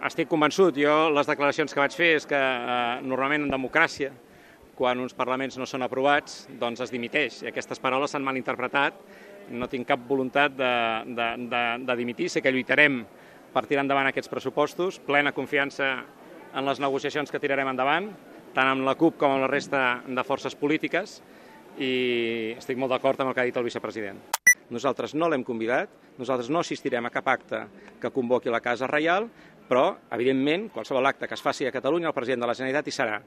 Estic convençut. Jo les declaracions que vaig fer és que normalment en democràcia, quan uns parlaments no són aprovats, doncs es dimiteix. I aquestes paraules s'han malinterpretat. No tinc cap voluntat de dimitir. Sé que lluitarem per tirar endavant aquests pressupostos, plena confiança en les negociacions que tirarem endavant, tant amb la CUP com amb la resta de forces polítiques, i estic molt d'acord amb el que ha dit el vicepresident. Nosaltres no l'hem convidat, nosaltres no assistirem a cap acte que convoqui la Casa Reial, però, evidentment, qualsevol acte que es faci a Catalunya, el president de la Generalitat hi serà.